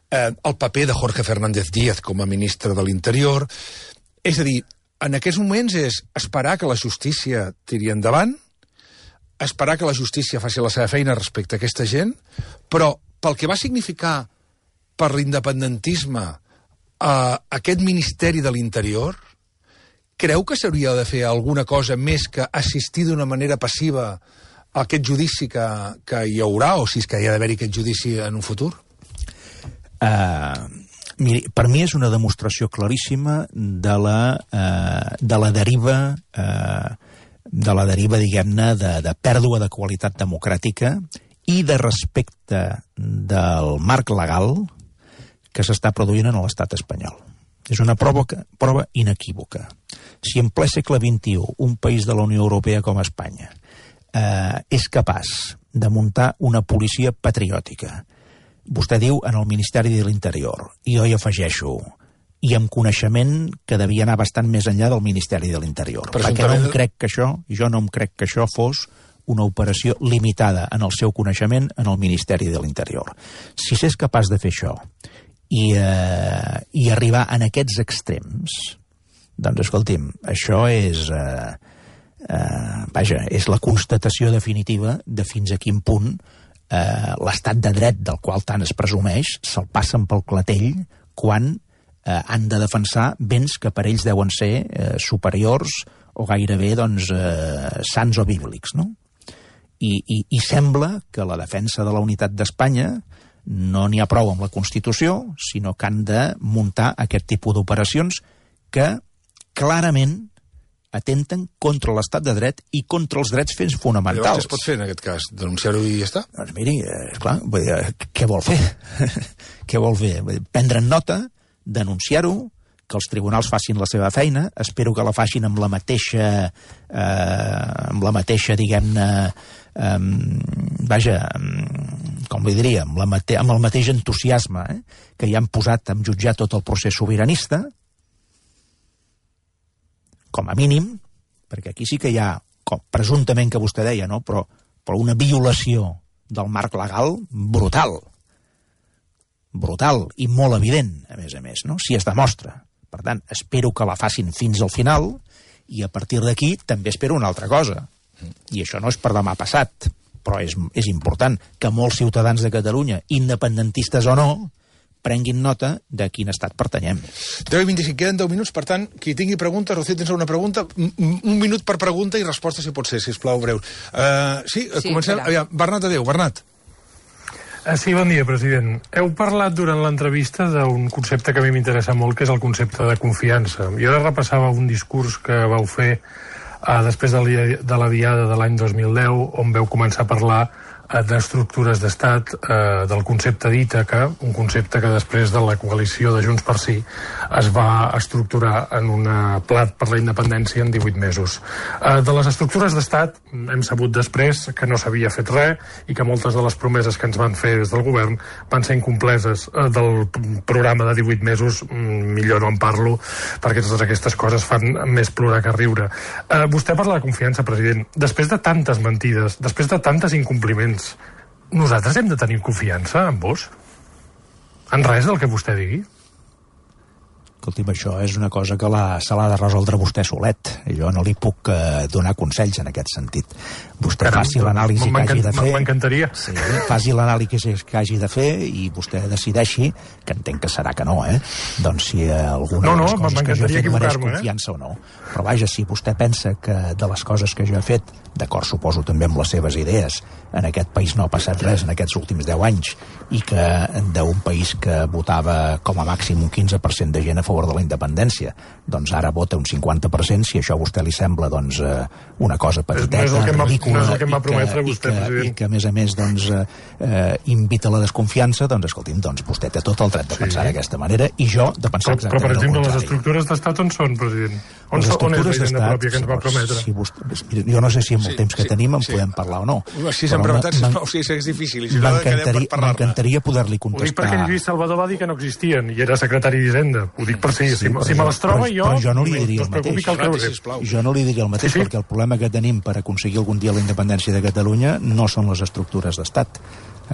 eh, el paper de Jorge Fernández Díaz com a ministre de l'Interior. És a dir, en aquests moments és esperar que la justícia tiri endavant, esperar que la justícia faci la seva feina respecte a aquesta gent, però pel que va significar per l'independentisme eh, aquest Ministeri de l'Interior, creu que s'hauria de fer alguna cosa més que assistir d'una manera passiva a aquest judici que, que hi haurà, o si és que hi ha d'haver-hi aquest judici en un futur? Uh... Miri, per mi és una demostració claríssima de la, eh, de la deriva, eh, de la deriva, diguem-ne, de, de pèrdua de qualitat democràtica i de respecte del marc legal que s'està produint en l'estat espanyol. És una prova, prova inequívoca. Si en ple segle vint-i-u un país de la Unió Europea com Espanya eh, és capaç de muntar una policia patriòtica, vostè diu en el Ministeri de l'Interior, i jo hi afegeixo, i amb coneixement que devia anar bastant més enllà del Ministeri de l'Interior. Perquè no em crec que això, jo no em crec que això fos una operació limitada en el seu coneixement en el Ministeri de l'Interior. Si s'és capaç de fer això i, eh, i arribar en aquests extrems, doncs escolti'm, això és... Eh, eh, vaja, és la constatació definitiva de fins a quin punt eh, l'estat de dret del qual tant es presumeix se'l passen pel clatell quan eh, han de defensar béns que per ells deuen ser eh, superiors o gairebé doncs, eh, sants o bíblics, no? I, i, I sembla que la defensa de la unitat d'Espanya no n'hi ha prou amb la Constitució, sinó que han de muntar aquest tipus d'operacions que clarament atenten contra l'estat de dret i contra els drets fets fonamentals. Llavors, què es pot fer en aquest cas? Denunciar-ho i ja està? Doncs miri, esclar, què vol fer? Què vol fer? Prendre'n nota, denunciar-ho, que els tribunals facin la seva feina, espero que la facin amb la mateixa, eh, amb la mateixa, diguem-ne, eh, vaja, com li diria, amb, la mate amb el mateix entusiasme eh, que hi han posat a jutjar tot el procés sobiranista, com a mínim, perquè aquí sí que hi ha, com presumptament que vostè deia, no? però, però una violació del marc legal brutal, brutal i molt evident, a més a més, no? Si es demostra. Per tant, espero que la facin fins al final i a partir d'aquí també espero una altra cosa. I això no és per demà passat, però és, és important que molts ciutadans de Catalunya, independentistes o no, prenguin nota de quin estat pertanyem. deu i vint-i-cinc, queden deu minuts, per tant, qui tingui preguntes, Rocío, tens alguna pregunta? Un minut per pregunta i resposta, si pot ser, sisplau, breu. Uh, sí, sí, comencem. Aviam, Bernat, adéu, Bernat. Sí, bon dia, president. Heu parlat durant l'entrevista d'un concepte que a mi m'interessa molt, que és el concepte de confiança. Jo ara repassava un discurs que vau fer eh, després de la, de la diada de l'any dos mil deu, on veu començar a parlar eh, d'estructures d'estat, eh, del concepte d'Ítaca, un concepte que després de la coalició de Junts per Sí es va estructurar en un plat per la independència en divuit mesos. Eh, de les estructures d'estat hem sabut després que no s'havia fet res i que moltes de les promeses que ens van fer des del govern van ser incompleses. Eh, del programa de divuit mesos millor no en parlo, perquè totes aquestes coses fan més plorar que riure. Eh, vostè parla de confiança, president. Després de tantes mentides, després de tantes incompliments, nosaltres hem de tenir confiança en vos? En res del que vostè digui? Escolti'm, això és una cosa que la, se l'ha de resoldre vostè solet. Jo no li puc eh, donar consells en aquest sentit. Vostè Caram, faci l'anàlisi que hagi de fer. M'encantaria. Sí, faci l'anàlisi que hagi de fer i vostè decideixi, que entenc que serà que no, eh? Doncs si alguna no, no, de les coses que jo he fet mereix eh? confiança o no. Però vaja, si vostè pensa que de les coses que jo he fet, d'acord, suposo també amb les seves idees, en aquest país no ha passat res en aquests últims deu anys, i que d'un país que votava com a màxim un quinze per cent de gent a favor de la independència, doncs ara vota un cinquanta per cent, si això a vostè li sembla doncs, una cosa petiteta, no ridícula, no és el que em va prometre i, vostè, que, i que a més a més doncs, eh, invita a la desconfiança, doncs escolti'm, doncs vostè té tot el dret de pensar sí. d'aquesta manera i jo de pensar però, exactament però, per exemple, el les estructures d'estat on són, president? On, les on és la d'estat, hisenda pròpia que ens va prometre? Si vostè, jo no sé si amb el sí, temps que sí, tenim en sí. podem parlar o no. Si s'han preguntat, sisplau, si és difícil. Si m'encantaria poder-li contestar. Ho dic perquè Lluís Salvador va dir que no existien i era secretari d'Hisenda. Ho dic per si, sí, si, si me les troba jo... Però jo no li diria el mateix. El jo no li diria el mateix, sí, sí. perquè el problema que tenim per aconseguir algun dia la independència de Catalunya no són les estructures d'estat.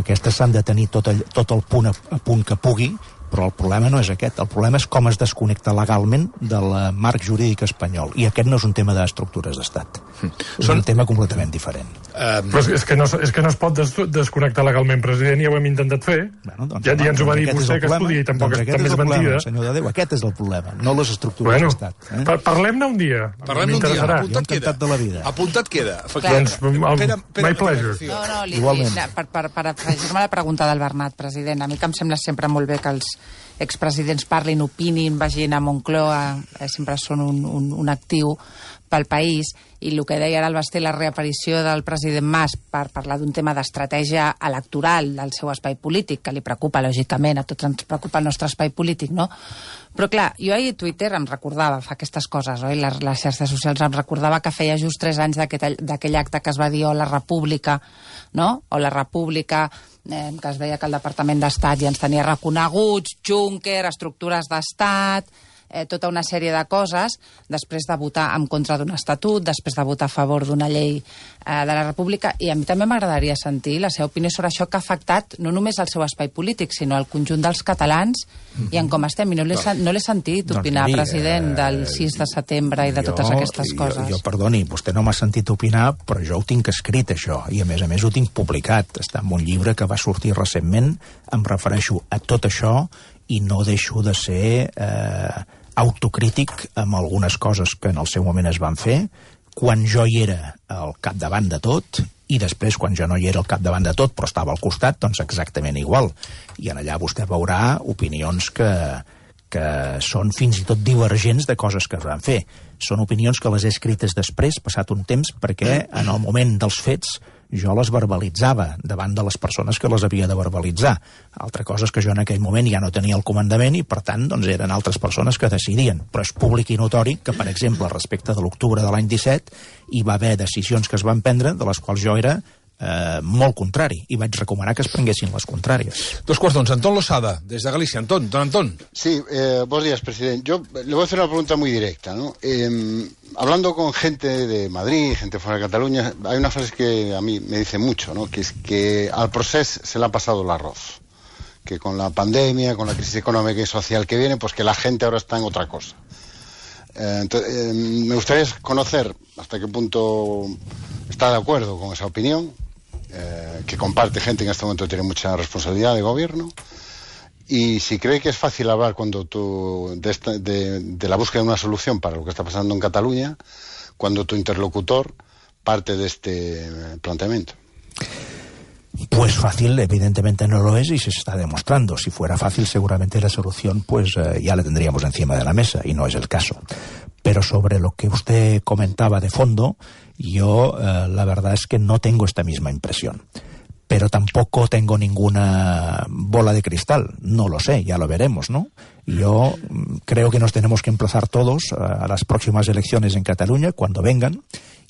Aquestes s'han de tenir tot, all, tot el punt a, a punt que pugui, però el problema no és aquest. El problema és com es desconnecta legalment del marc jurídic espanyol. I aquest no és un tema d'estructures d'estat. Mm. És Són... un tema completament diferent. Um... Però és que, no, és que no es pot des desconnectar legalment, president, ja ho hem intentat fer. Bueno, doncs, ja, ja ens ho va dir vostè que es podia i tampoc doncs és, és mentida. Senyor de Déu, aquest és el problema, no les estructures bueno, d'estat. Eh? Par Parlem-ne un dia. Parlem un dia, apuntat queda. De la vida. Apuntat queda. Doncs, Pere, my pleasure. No, no, li, li, per, per, per afegir-me la pregunta del Bernat, president, a mi que em sembla sempre molt bé que els expresidents parlin, opinin, vagin a Moncloa, eh, sempre són un, un, un actiu pel país, i el que deia ara el Basté, la reaparició del president Mas per parlar d'un tema d'estratègia electoral del seu espai polític, que li preocupa, lògicament, a tots ens preocupa el nostre espai polític, no? Però clar, jo ahir a Twitter em recordava, fa aquestes coses, oi? Les, les xarxes socials em recordava que feia just tres anys d'aquell acte que es va dir o la República, no? O la República, eh, que es deia que el Departament d'Estat ja ens tenia reconeguts, Juncker, estructures d'Estat, eh, tota una sèrie de coses, després de votar en contra d'un estatut, després de votar a favor d'una llei eh, de la República, i a mi també m'agradaria sentir la seva opinió sobre això que ha afectat no només el seu espai polític, sinó el conjunt dels catalans, mm-hmm. i en com estem. I no l'he no. no sentit opinar, doncs, miri, president, del sis de setembre i de jo, totes aquestes coses. Jo, jo, perdoni, vostè no m'ha sentit opinar, però jo ho tinc escrit, això, i a més a més ho tinc publicat. Està en un llibre que va sortir recentment, em refereixo a tot això, i no deixo de ser eh, autocrític amb algunes coses que en el seu moment es van fer, quan jo hi era al capdavant de tot, i després, quan jo no hi era al capdavant de tot, però estava al costat, doncs exactament igual. I en allà vostè veurà opinions que, que són fins i tot divergents de coses que es van fer. Són opinions que les he escrites després, passat un temps, perquè en el moment dels fets jo les verbalitzava davant de les persones que les havia de verbalitzar. Altra cosa és que jo en aquell moment ja no tenia el comandament i, per tant, doncs eren altres persones que decidien. Però és públic i notori que, per exemple, respecte de l'octubre de l'any disset, hi va haver decisions que es van prendre de les quals jo era eh, molt contrari, i vaig recomanar que es prenguessin les contràries. Dos quarts d'onze. Antón Losada, desde Galicia. Antón, don Antón. Sí, eh, buenos días, presidente. Yo le voy a hacer una pregunta muy directa, ¿no? Eh, hablando con gente de Madrid, gente fuera de Cataluña, hay una frase que a mí me dice mucho, ¿no? Que es que al procés se le ha pasado el arroz. Que con la pandemia, con la crisis económica y social que viene, pues que la gente ahora está en otra cosa. Eh, entonces, eh, me gustaría conocer hasta qué punto está de acuerdo con esa opinión, eh, que comparte gente que en este momento tiene mucha responsabilidad de gobierno, y si cree que es fácil hablar cuando tú de, esta, de, de la búsqueda de una solución para lo que está pasando en Cataluña, cuando tu interlocutor parte de este planteamiento. Pues fácil, evidentemente no lo es y se está demostrando. Si fuera fácil, seguramente la solución pues eh, ya la tendríamos encima de la mesa, y no es el caso. Pero sobre lo que usted comentaba de fondo, yo eh, la verdad es que no tengo esta misma impresión. Pero tampoco tengo ninguna bola de cristal. No lo sé, ya lo veremos, ¿no? Yo creo que nos tenemos que emplazar todos a las próximas elecciones en Cataluña, cuando vengan,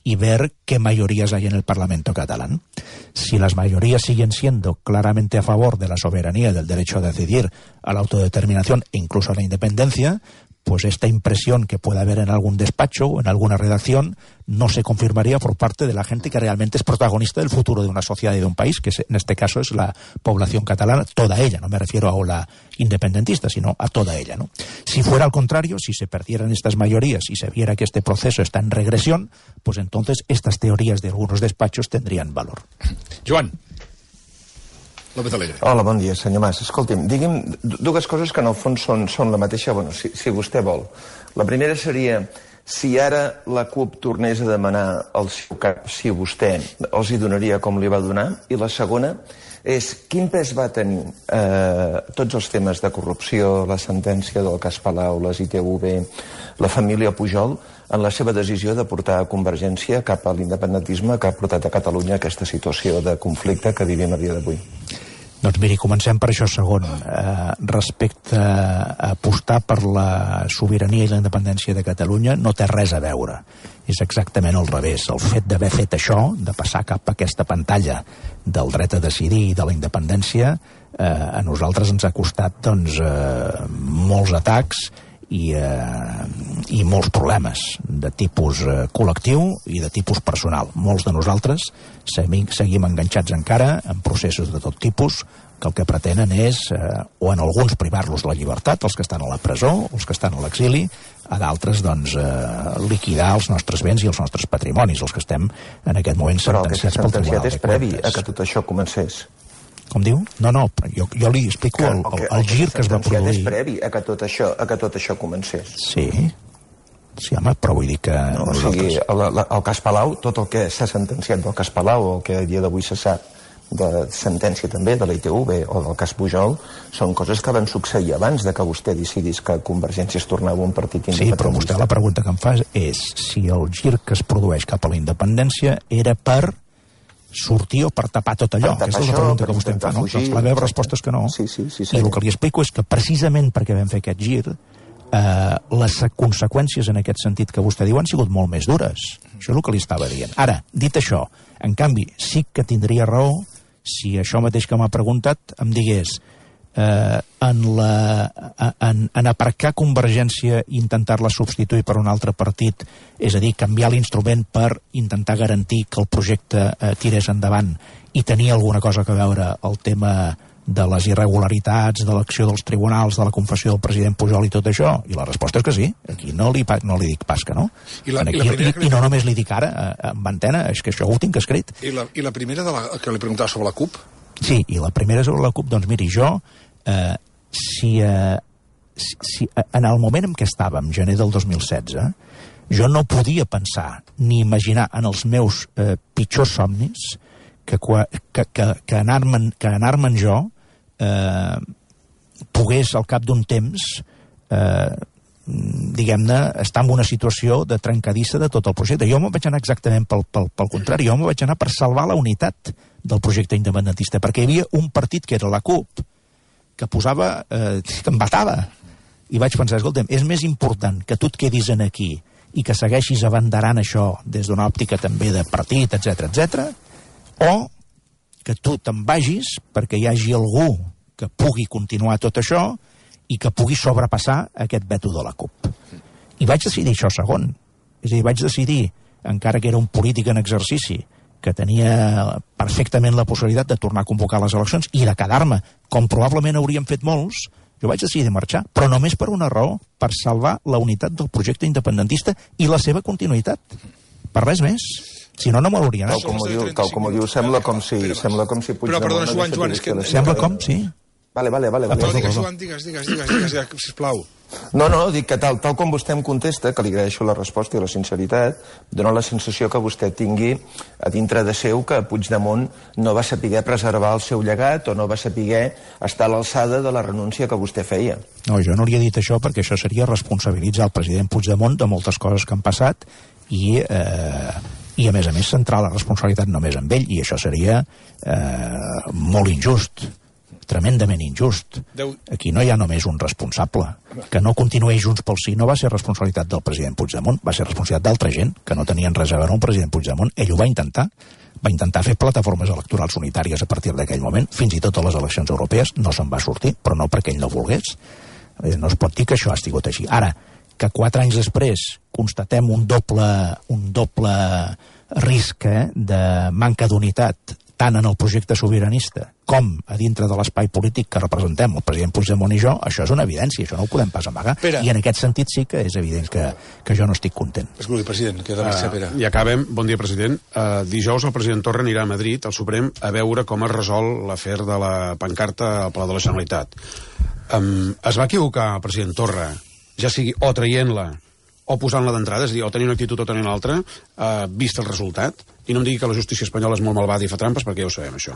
y ver qué mayorías hay en el Parlamento catalán. Si las mayorías siguen siendo claramente a favor de la soberanía, del derecho a decidir, a la autodeterminación e incluso a la independencia, pues esta impresión que pueda haber en algún despacho o en alguna redacción no se confirmaría por parte de la gente que realmente es protagonista del futuro de una sociedad y de un país, que en este caso es la población catalana, toda ella, no me refiero a la independentista, sino a toda ella, ¿no? Si fuera al contrario, si se perdieran estas mayorías y se viera que este proceso está en regresión, pues entonces estas teorías de algunos despachos tendrían valor. Joan López Alegre. Hola, bon dia, senyor Mas. Escolti'm, digui'm dues coses que en el fons són, són la mateixa, bueno, si, si vostè vol. La primera seria, si ara la CUP tornés a demanar el seu cap, si vostè els hi donaria com li va donar, i la segona és quin pes va tenir eh, tots els temes de corrupció, la sentència del cas Palau, les I T V, la família Pujol, en la seva decisió de portar a Convergència cap a l'independentisme que ha portat a Catalunya aquesta situació de conflicte que vivim a dia d'avui. Doncs miri, comencem per això segon. Eh, respecte a apostar per la sobirania i la independència de Catalunya no té res a veure. És exactament al revés. El fet d'haver fet això, de passar cap a aquesta pantalla del dret a decidir i de la independència, eh, a nosaltres ens ha costat doncs, eh, molts atacs i, eh, i molts problemes de tipus eh, col·lectiu i de tipus personal. Molts de nosaltres seguim, seguim enganxats encara en processos de tot tipus que el que pretenen és, eh, o en alguns privar-los de la llibertat, els que estan a la presó, els que estan a l'exili, a d'altres doncs, eh, liquidar els nostres béns i els nostres patrimonis, els que estem en aquest moment sentenciats pel Tribunal de Cuentas. Però el que s'ha sentenciat és previ a que tot això comencés. Com diu? No, no, jo, jo li explico el, el, el gir que es va produir. És previ a que tot això, a que tot això comencés. Sí, sí, home, però vull dir que... No, o sigui, el, el cas Palau, tot el que s'ha sentenciat del cas Palau, o el que a dia d'avui se sap de sentència també de la I T V o del cas Pujol, són coses que van succeir abans de que vostè decidís que Convergència es tornava un partit independentista. Sí, però vostè la pregunta que em fa és si el gir que es produeix cap a la independència era per sortir o per tapar tot allò? Aquesta és la pregunta que vostè em fa, no? Doncs la meva resposta és que no. Sí, sí, sí, sí. I el que li explico és que precisament perquè vam fer aquest gir, eh, les conseqüències en aquest sentit que vostè diu han sigut molt més dures. Això és el que li estava dient. Ara, dit això, en canvi, sí que tindria raó si això mateix que m'ha preguntat em digués eh, en, la, en, en aparcar Convergència i intentar-la substituir per un altre partit, és a dir, canviar l'instrument per intentar garantir que el projecte eh, tirés endavant i tenir alguna cosa a veure el tema de les irregularitats, de l'acció dels tribunals, de la confessió del president Pujol i tot això? I la resposta és que sí. Aquí no li, no li dic pas que no. I, la, Aquí, i, la i, i no només li dic ara, en antena, és que això ho tinc escrit. I la, i la primera de la, que li preguntava sobre la CUP? Sí, i la primera sobre la CUP, doncs miri, jo eh, si, eh, si, si en el moment en què estàvem, gener del dos mil setze, jo no podia pensar ni imaginar en els meus eh, pitjors somnis que, que, que, que anar-me'n que anar-me'n jo eh, pogués al cap d'un temps eh, diguem-ne, estar en una situació de trencadissa de tot el projecte. Jo me'n vaig anar exactament pel, pel, pel contrari, jo me'n vaig anar per salvar la unitat del projecte independentista, perquè hi havia un partit que era la CUP, que posava, eh, que embatava, i vaig pensar, escolta'm, és més important que tu et quedis en aquí i que segueixis abanderant això des d'una òptica també de partit, etcètera, etcètera, o que tu te'n vagis perquè hi hagi algú que pugui continuar tot això i que pugui sobrepassar aquest veto de la CUP. I vaig decidir això segon. És a dir, vaig decidir, encara que era un polític en exercici, que tenia perfectament la possibilitat de tornar a convocar les eleccions i de quedar-me, com probablement hauríem fet molts, jo vaig decidir marxar, però només per una raó, per salvar la unitat del projecte independentista i la seva continuïtat. Per res més. Si no, no m'hauria anat. Tal com ho diu, tal com ho diu, sembla com si... Sembla com si Però, perdona, Joan, Joan, és que... Sembla com, sí. Vale, vale, vale. vale. Perdó, digues, Joan, digues, digues, digues, digues, digues, sisplau. No, no, dic que tal, tal com vostè em contesta, que li agraeixo la resposta i la sinceritat, dona la sensació que vostè tingui a dintre de seu que Puigdemont no va saber preservar el seu llegat o no va saber estar a l'alçada de la renúncia que vostè feia. No, jo no li he dit això perquè això seria responsabilitzar el president Puigdemont de moltes coses que han passat i, eh, i a més a més, centrar la responsabilitat només en ell, i això seria eh, molt injust, tremendament injust. Aquí no hi ha només un responsable. Que no continuï Junts pel Sí no va ser responsabilitat del president Puigdemont, va ser responsabilitat d'altra gent que no tenien res a veure amb el president Puigdemont. Ell ho va intentar, va intentar fer plataformes electorals unitàries a partir d'aquell moment, fins i tot a les eleccions europees, no se'n va sortir, però no perquè ell no volgués. No es pot dir que això ha estat així. Ara, que quatre anys després constatem un doble, un doble risc eh, de manca d'unitat tant en el projecte sobiranista com a dintre de l'espai polític que representem el president Puigdemont i jo, això és una evidència, això no ho podem pas amagar. Pere. I en aquest sentit sí que és evident que, que jo no estic content. Escolti, president, queda més uh, Pere. I acabem. Bon dia, president. Uh, dijous el president Torra anirà a Madrid, al Suprem, a veure com es resol l'afer de la pancarta al Palau de la Generalitat. Um, es va equivocar el president Torra, ja sigui o traient-la o posant-la d'entrada, és a dir, o tenir una actitud o tenir una altra, uh, vist el resultat, i no em digui que la justícia espanyola és molt malvada i fa trampes, perquè ja ho sabem, això.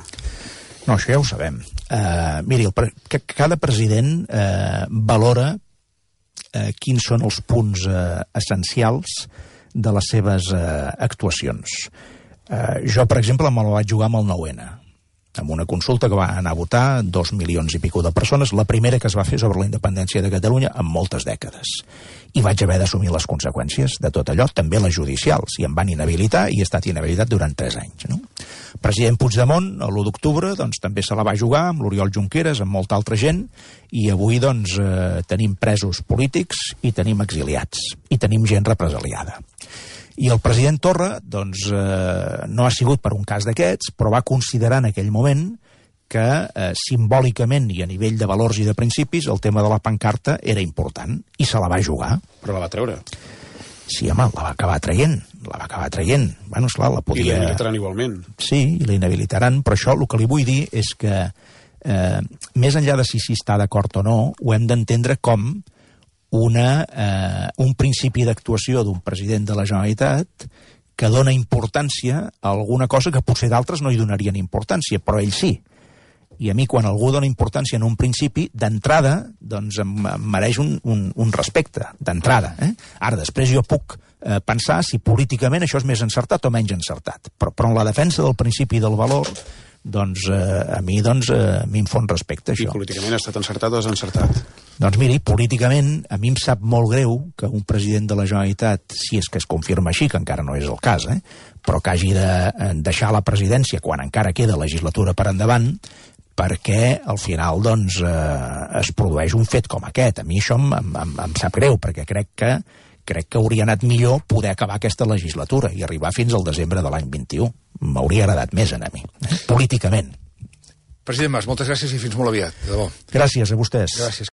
No, això ja ho sabem. Uh, miri, el pre que cada president uh, valora uh, quins són els punts uh, essencials de les seves uh, actuacions. Uh, jo, per exemple, me la vaig jugar amb el nou ene, amb una consulta que va anar a votar dos milions i pico de persones, la primera que es va fer sobre la independència de Catalunya en moltes dècades. I vaig haver d'assumir les conseqüències de tot allò, també les judicials, i em van inhabilitar i he estat inhabilitat durant tres anys. No? President Puigdemont, l'u d'octubre, doncs, també se la va jugar amb l'Oriol Junqueras, amb molta altra gent, i avui doncs, eh, tenim presos polítics i tenim exiliats, i tenim gent represaliada. I el president Torra, doncs, eh, no ha sigut per un cas d'aquests, però va considerar en aquell moment que eh, simbòlicament i a nivell de valors i de principis el tema de la pancarta era important, i se la va jugar. Però la va treure. Sí, home, la va acabar traient, la va acabar traient. Bueno, esclar, la podia... I la inhabilitaran igualment. Sí, i la inhabilitaran, però això el que li vull dir és que, eh, més enllà de si s'hi està d'acord o no, ho hem d'entendre com una, eh, un principi d'actuació d'un president de la Generalitat que dona importància a alguna cosa que potser d'altres no hi donarien importància, però ell sí. I a mi, quan algú dona importància en un principi, d'entrada, doncs em, em mereix un, un, un respecte, d'entrada. Eh? Ara, després jo puc eh, pensar si políticament això és més encertat o menys encertat. Però, però en la defensa del principi del valor, doncs eh, a mi doncs, eh, a mi em fon respecte, això. I políticament ha estat encertat o desencertat? Doncs miri, políticament a mi em sap molt greu que un president de la Generalitat, si és que es confirma així, que encara no és el cas, eh, però que hagi de deixar la presidència quan encara queda legislatura per endavant, perquè al final doncs, eh, es produeix un fet com aquest. A mi això em, em, em sap greu, perquè crec que, crec que hauria anat millor poder acabar aquesta legislatura i arribar fins al desembre de l'any vint-i-u. M'hauria agradat més a mi, eh? Políticament. President Mas, moltes gràcies i fins molt aviat, de debò. Gràcies a vostès. Gràcies.